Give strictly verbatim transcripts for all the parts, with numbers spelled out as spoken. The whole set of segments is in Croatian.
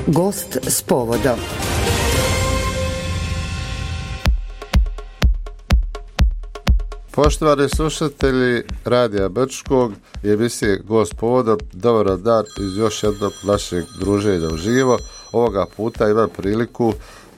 Gost s povodom. Poštovani slušatelji Radija Brčkog i emisije Gost povodom, dobar dan iz još jednog našeg druženja uživo. Ovoga puta imam priliku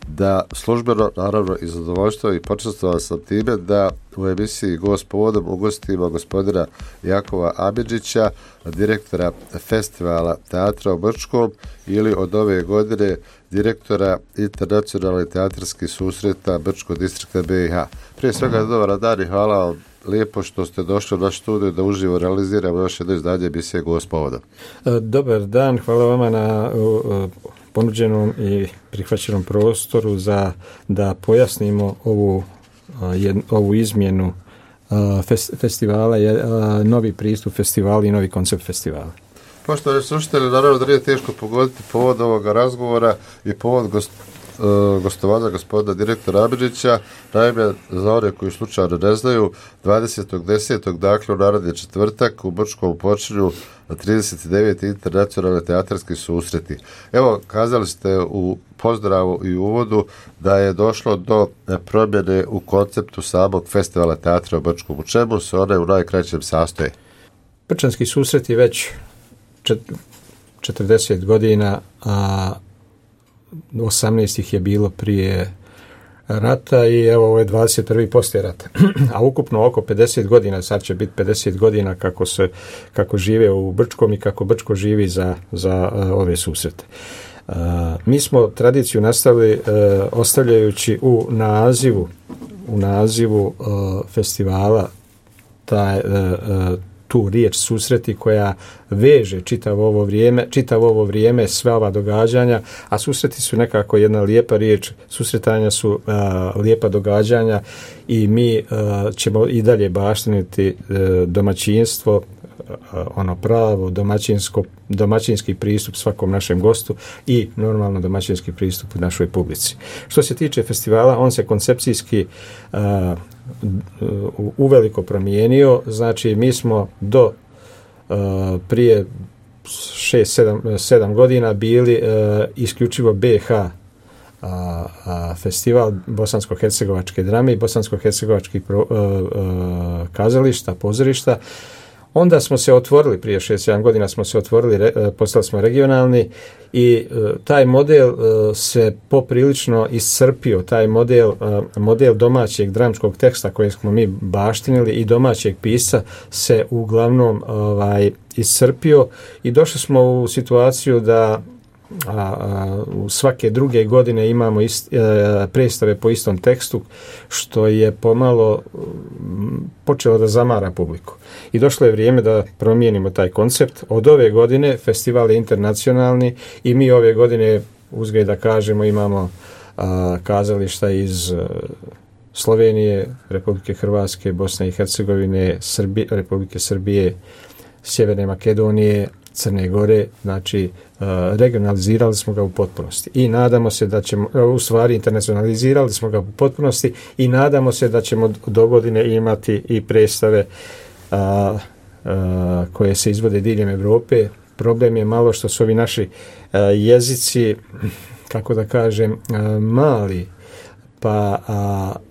da službeno, naravno i zadovoljstvo i počastovan sam time da u emisiji Gost povodom ugostimo gospodina Jakova Amidžića, direktora Festivala teatra u Brčkom ili od ove godine direktora Internacionalnih teatarskih susreta Brčkog distrikta B i H. Prije svega dobar dan i hvala vam lijepo što ste došli u naš studiju da uživo realiziramo još jedno izdanje emisije Gost povodom. Dobar dan, hvala vama na ponuđenom i prihvaćenom prostoru za da pojasnimo ovu, ovu izmjenu festivala, novi pristup festivala i novi koncept festivala. Poštovani slušatelji, naravno da nije teško pogoditi povod ovoga razgovora i povod gost, uh, gostovanja gospodina direktora Amidžića. Naime, za one koji slučajno ne znaju, dvadesetog desetog dakle u naredni četvrtak u Brčkom počinju trideset deveti internacionalni teatarski susreti. Evo, kazali ste u pozdravu i uvodu da je došlo do promjene u konceptu samog festivala teatra u Brčkom. U čemu se one u najkraćem sastoje? Brčanski susret je već četrdeset godina, a osamnaest ih je bilo prije rata i evo ovo je dvadeset prvi poslije rata. A ukupno oko pedeset godina, sad će biti pedeset godina kako se kako žive u Brčkom i kako Brčko živi za, za uh, ove susrete. Uh, mi smo tradiciju nastavili uh, ostavljajući u nazivu u nazivu uh, festivala taj uh, uh, tu riječ susreti koja veže čitavo ovo vrijeme, čitavo ovo vrijeme sve ova događanja, a susreti su nekako jedna lijepa riječ, susretanja su uh, lijepa događanja i mi uh, ćemo i dalje baštiniti uh, domaćinstvo, uh, ono pravo domaćinsko, domaćinski pristup svakom našem gostu i normalno domaćinski pristup u našoj publici. Što se tiče festivala, on se koncepcijski uh, uveliko promijenio, znači mi smo do uh, prije šest sedam godina bili uh, isključivo B H uh, uh, festival bosansko-hercegovačke drame i bosansko-hercegovačkih pro, uh, uh, kazališta, pozorišta. Onda smo se otvorili, prije šest sedam godina smo se otvorili, postali smo regionalni i uh, taj model uh, se poprilično iscrpio, taj model, uh, model domaćeg dramskog teksta kojeg smo mi baštinili i domaćeg pisca se uglavnom ovaj, iscrpio i došli smo u situaciju da a, a, u svake druge godine imamo ist, a, predstave po istom tekstu, što je pomalo m, počelo da zamara publiku. I došlo je vrijeme da promijenimo taj koncept. Od ove godine festival je internacionalni i mi ove godine, uzgled da kažemo, imamo a, kazališta iz a, Slovenije, Republike Hrvatske, Bosne i Hercegovine, Srbije, Republike Srbije, Sjeverne Makedonije, Crne Gore, znači uh, regionalizirali smo ga u potpunosti i nadamo se da ćemo, u stvari internacionalizirali smo ga u potpunosti i nadamo se da ćemo do godine imati i predstave uh, uh, koje se izvode diljem Europe. Problem je malo što su ovi naši uh, jezici, kako da kažem, uh, mali, pa uh,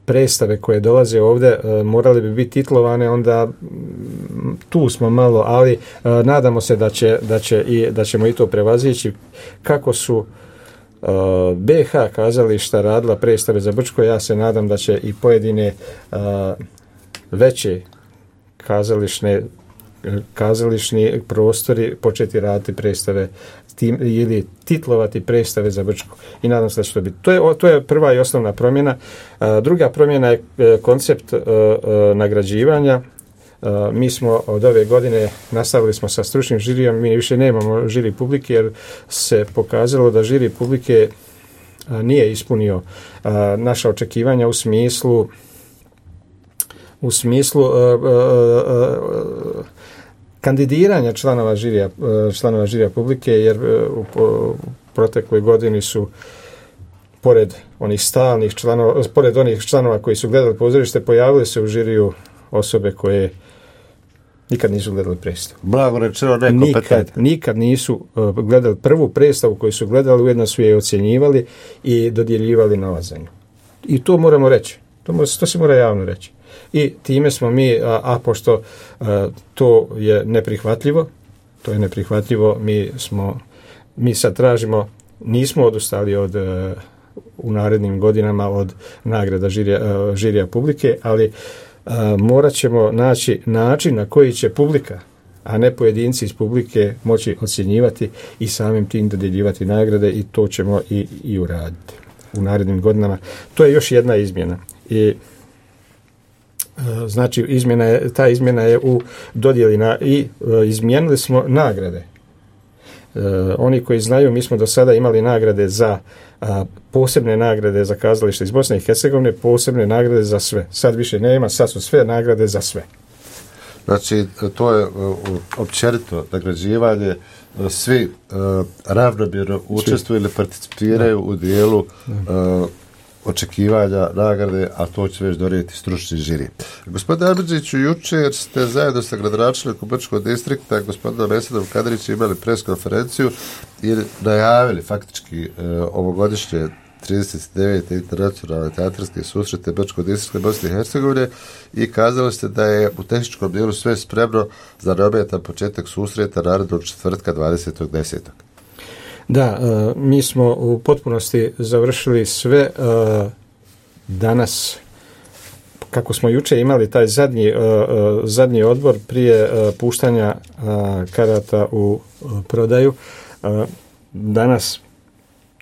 predstave koje dolaze ovdje uh, morali bi biti titlovane, onda m, tu smo malo, ali uh, nadamo se da, će, da, će i, da ćemo i to prevazići. Kako su uh, B H kazališta radila predstave za Brčko, ja se nadam da će i pojedine uh, veće kazališne kazališni prostori početi raditi predstave tim, ili titlovati predstave za Brčko i nadam se da će to biti. To je, to je prva i osnovna promjena. A, druga promjena je koncept a, a, nagrađivanja. A, mi smo od ove godine nastavili smo sa stručnim žirijom, mi više nemamo žiri publike jer se pokazalo da žiri publike a, nije ispunio a, naša očekivanja u smislu u smislu a, a, a, kandidiranja članova žirija, članova žirija publike, jer u protekloj godini su pored onih stalnih članova, pored onih članova koji su gledali pozorište, pojavili se u žiriju osobe koje Nikad nisu gledali predstavu. Blago rečeno nekompetentni. Nikad, nikad nisu uh, gledali prvu predstavu koju su gledali, ujedno su je ocjenjivali i dodjeljivali novac za nju. I to moramo reći. To, mora, to se mora javno reći. I time smo mi, a, a pošto a, to je neprihvatljivo, to je neprihvatljivo, mi smo, mi sad tražimo, nismo odustali od, a, u narednim godinama od nagrada žirija, a, žirija publike, ali a, morat ćemo naći način na koji će publika, a ne pojedinci iz publike moći ocjenjivati i samim tim dodjeljivati nagrade i to ćemo i, i uraditi u narednim godinama. To je još jedna izmjena. I znači izmjena je, ta izmjena je u dodjeli na, i e, izmijenili smo nagrade. E, oni koji znaju, mi smo do sada imali nagrade za a, posebne nagrade za kazalište iz Bosne i Hercegovine, posebne nagrade za sve. Sad više nema, sad su sve nagrade za sve. Znači, to je uh, općenito nagrađivanje, uh, svi uh, ravnomjerno učestvuju ili participiraju da. u dijelu uh, očekivanja nagrade, a to će već donijeti stručni žiri. Gospodine Amidžiću, jučer ste zajedno sa gradonačelnikom Brčkog distrikta, gospodinom Mesadom Kadrićem, imali pres konferenciju i najavili faktički uh, ovogodišnje trideset devete internacionalne teatarske susrete Brčkog distrikta Bosne i Hercegovine i kazali ste da je u tehničkom dijelu sve spremno za neometan početak susreta narednog četvrtka dvadesetog desetog Da, uh, mi smo u potpunosti završili sve uh, danas, kako smo juče imali taj zadnji, uh, uh, zadnji odbor prije uh, puštanja uh, karata u uh, prodaju. Uh, danas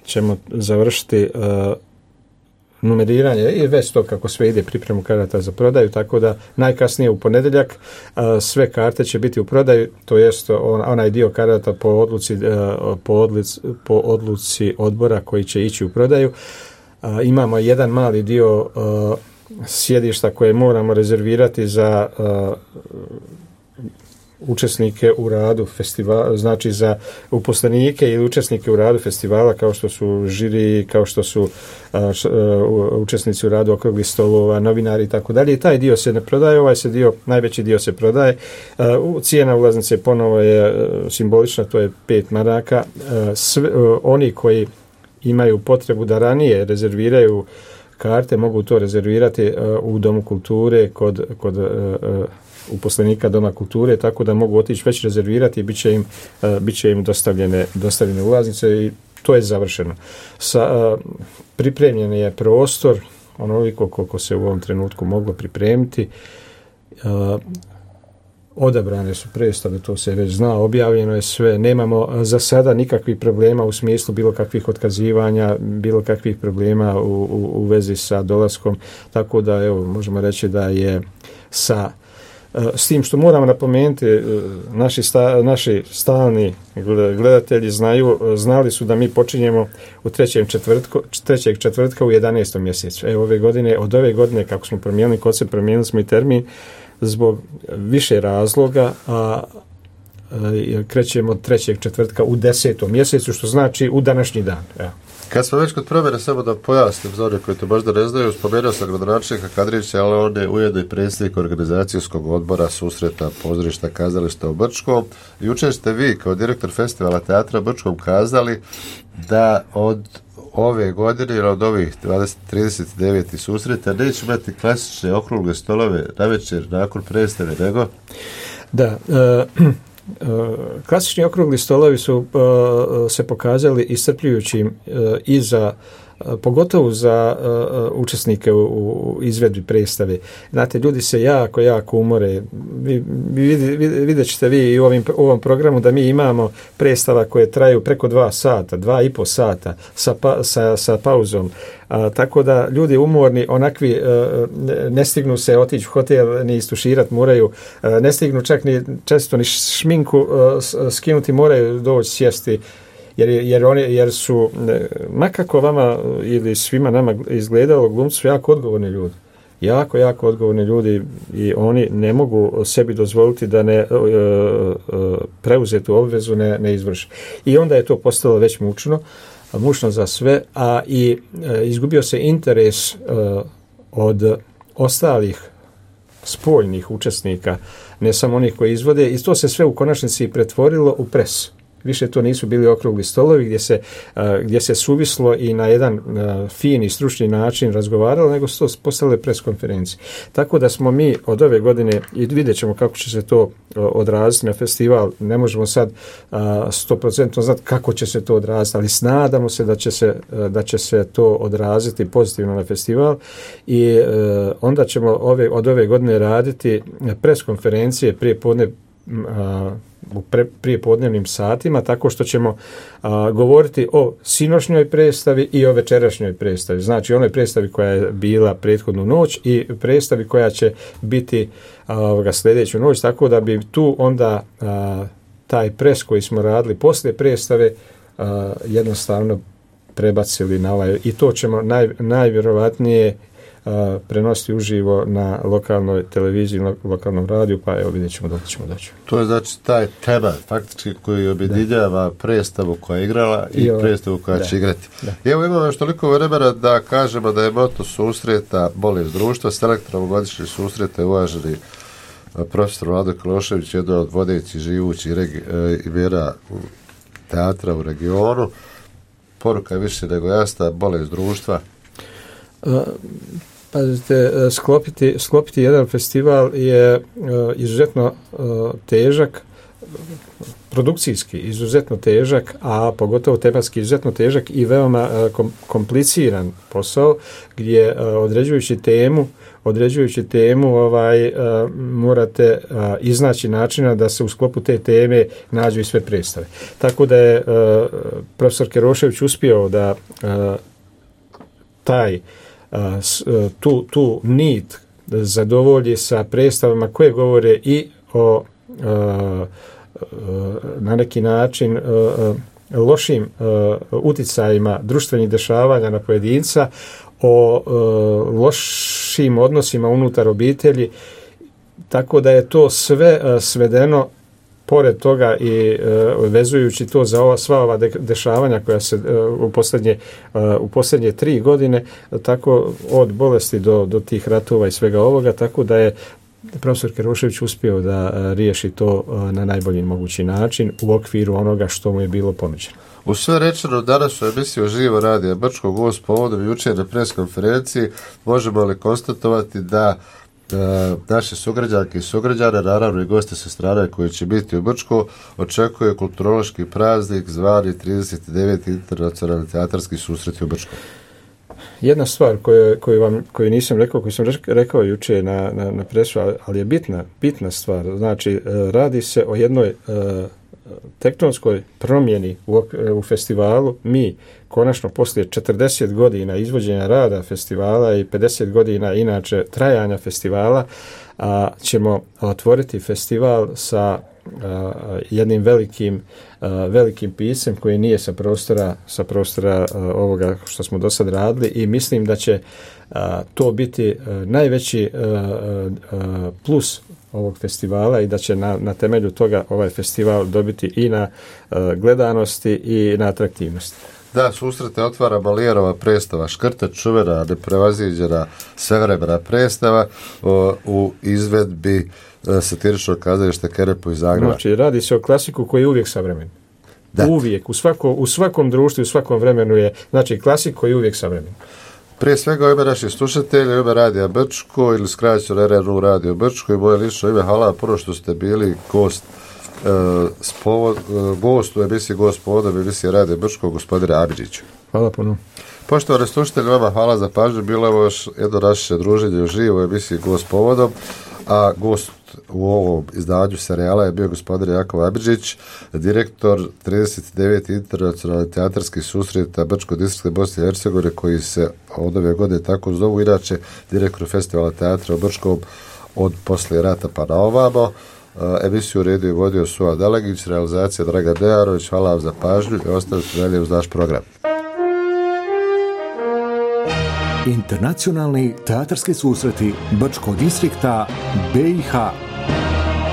ćemo završiti uh, numeriranje i već to kako sve ide pripremu karata za prodaju, tako da najkasnije u ponedjeljak uh, sve karte će biti u prodaju, to jest on, onaj dio karata po odluci, uh, po, odlic, po odluci odbora koji će ići u prodaju. Uh, imamo jedan mali dio uh, sjedišta koje moramo rezervirati za uh, učesnike u radu festivala, znači za uposlenike ili učesnike u radu festivala, kao što su žiri, kao što su a, š, a, učesnici u radu okruglih stolova, novinari i tako dalje. I taj dio se ne prodaje, ovaj se dio, najveći dio se prodaje. A, u, cijena ulaznice ponovo je a, simbolična, to je pet maraka. A, sve, a, oni koji imaju potrebu da ranije rezerviraju karte, mogu to rezervirati a, u Domu kulture kod, kod a, a, uposlenika Doma kulture, tako da mogu otići već rezervirati i bit će im, uh, bit će im dostavljene, dostavljene ulaznice i to je završeno. Sa, uh, pripremljen je prostor, onoliko koliko se u ovom trenutku moglo pripremiti. Uh, odabrane su predstave, to se već zna, objavljeno je sve, nemamo uh, za sada nikakvih problema u smislu bilo kakvih otkazivanja, bilo kakvih problema u, u, u vezi sa dolaskom, tako da evo, možemo reći da je sa s tim što moramo napomenuti, naši, sta, naši stalni gledatelji znaju, znali su da mi počinjemo u trećem četvrtku, trećeg četvrtka u jedanaestom mjesecu. Evo ove godine, od ove godine kako smo promijenili koncept, promijenili smo i termin zbog više razloga, a krećemo od trećeg četvrtka u desetom mjesecu, što znači u današnji dan. Evo. Kad smo već kod promjene, samo da pojasnim za one koji to možda ne znaju, spomenuo sam gradonačelnika Kadrića, ali on je ujedno i predsjednik organizacijskog odbora susreta pozorišta kazališta u Brčkom. Jučer ste vi kao direktor festivala teatra Brčkom kazali da od ove godine ili od ovih trideset devet susreta neće imati klasične okrugle stolove na večer nakon predstave, nego? Da, uh... klasični okrugli stolovi su uh, se pokazali iscrpljujućim uh, i za uh, pogotovo za uh, učesnike u, u izvedbi predstave. Znate, ljudi se jako, jako umore. Vi, vi, vidjet ćete vi i u ovim, u ovom programu da mi imamo predstava koje traju preko dva sata, dva i po sata sa, pa, sa, sa pauzom. A, tako da ljudi umorni, onakvi a, ne stignu se otići u hotel ni istuširati, moraju, a, ne stignu čak ni često ni šminku a, skinuti, moraju doći sjesti, jer, jer, oni, jer su, makako vama ili svima nama izgledalo, glumci su jako odgovorni ljudi. Jako, jako odgovorni ljudi i oni ne mogu sebi dozvoliti da ne uh, uh, preuzetu obvezu ne, ne izvrši. I onda je to postalo već mučno, mučno za sve, a i uh, izgubio se interes uh, od ostalih spoljnih učesnika ne samo onih koji izvode, i to se sve u konačnici pretvorilo u presu. Više to nisu bili okrugli stolovi gdje se, gdje se suvislo i na jedan fin i stručni način razgovaralo, nego su to postale pres konferencije. Tako da smo mi od ove godine, i vidjet ćemo kako će se to odraziti na festival, ne možemo sad sto posto znati kako će se to odraziti, ali snadamo se da će se, da će se to odraziti pozitivno na festival, i onda ćemo ove, od ove godine raditi pres konferencije prije podne u pre, prije podnevnim satima, tako što ćemo a, govoriti o sinošnjoj predstavi i o večerašnjoj predstavi. Znači onoj predstavi koja je bila prethodnu noć i predstavi koja će biti a, sljedeću noć, tako da bi tu onda a, taj pres koji smo radili poslije predstave a, jednostavno prebacili na ovaj, i to ćemo naj, najvjerovatnije a, prenositi uživo na lokalnoj televiziji, na lokalnom radiju, pa evo vidjet ćemo dok ćemo doći. To je znači taj tema faktički koji objedinjava predstavu koja je igrala i, I predstavu koja da. će igrati. Da. I evo imamo još toliko vremena da kažemo da je moto susreta Bolest društva, selektor ovogodišnjeg susreta je uvaženi profesor Vlado Kalošević, jedan od vodećih živućih regi- imena teatra u regionu. Poruka je više nego jasna, bolest društva. Uh, Pazite, sklopiti, sklopiti jedan festival je uh, izuzetno uh, težak, produkcijski izuzetno težak, a pogotovo tematski izuzetno težak i veoma uh, kom, kompliciran posao, gdje uh, određujući temu, određujući temu ovaj, uh, morate uh, iznaći načina da se u sklopu te teme nađu i sve predstave. Tako da je uh, profesor Kerošević uspio da uh, taj tu, tu nit zadovolji sa predstavama koje govore i o na neki način lošim uticajima društvenih dešavanja na pojedinca, o lošim odnosima unutar obitelji, tako da je to sve svedeno pored toga i uh, vezujući to za ova, sva ova de- dešavanja koja se uh, u, posljednje, uh, u posljednje tri godine, tako od bolesti do, do tih ratova i svega ovoga, tako da je profesor Kerošević uspio da uh, riješi to uh, na najbolji mogući način u okviru onoga što mu je bilo ponuđeno. U sve rečeno danas u emisiji Živo radija Brčkog gost povodom jučer na pres konferenciji možemo li konstatovati da E, naše sugrađanke i sugrađane, naravno i goste sa strane koji će biti u Brčku, očekuje kulturološki praznik zvani trideset deveti internacionalni teatarski susret u Brčku. Jedna stvar koju, koju, vam, koju nisam rekao, koju sam rekao juče na, na, na presu, ali je bitna, bitna stvar. Znači, radi se o jednoj uh, tektonskoj promjeni u, u festivalu. Mi konačno poslije četrdeset godina izvođenja rada festivala i pedeset godina inače trajanja festivala a, ćemo otvoriti festival sa a, jednim velikim, a, velikim pisem koji nije sa prostora, sa prostora a, ovoga što smo do sad radili, i mislim da će a, to biti a, najveći a, a, plus ovog festivala i da će na, na temelju toga ovaj festival dobiti i na uh, gledanosti i na atraktivnosti. Da, susrete otvara Molijerova predstava Škrta, čuvena, neprevaziđena svevremena predstava o, u izvedbi uh, satiričnog kazališta Kerepu iz Zagreba. Znači, radi se o klasiku koji je uvijek savremen. Da. Uvijek, u, svako, u svakom društvu, u svakom vremenu je, znači, klasik koji je uvijek savremen. Prije svega u ime naših slušatelja, u ime Radija Brčko ili skraćeno R R U Radio Brčko i moje lično ime, hvala prvo što ste bili gost uh, spovod, uh, gost u emisiji Gost povodom emisije Radija Brčko, gospodine Abidžiću. Hvala puno. Poštovani slušatelji, vama hvala za pažnju. Bilo je još jedno naše druženje uživo u emisiji Gost povodom, a gost u ovom izdanju serijala je bio gospodin Jakov Abidžić, direktor trideset deveti internacionalni teatarski susreta Brčko-Distriktske Bosne i Hercegovine, koji se od ove godine tako zovu, inače direktor festivala teatra u Brčkom od poslije rata pa na ovamo. Emisiju redio i vodio Suad Dalagić, realizacija Dragan Dejarović. Hvala vam za pažnju i ostavite dalje uz naš program. Internacionalni teatarski susreti Brčkog distrikta B i H.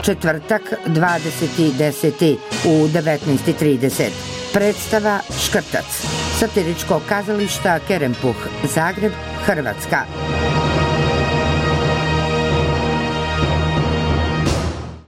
Četvrtak, dvadeseti deseti u devetnaest i trideset. Predstava Škrtac. Satiričkog kazališta Kerempuh, Zagreb, Hrvatska.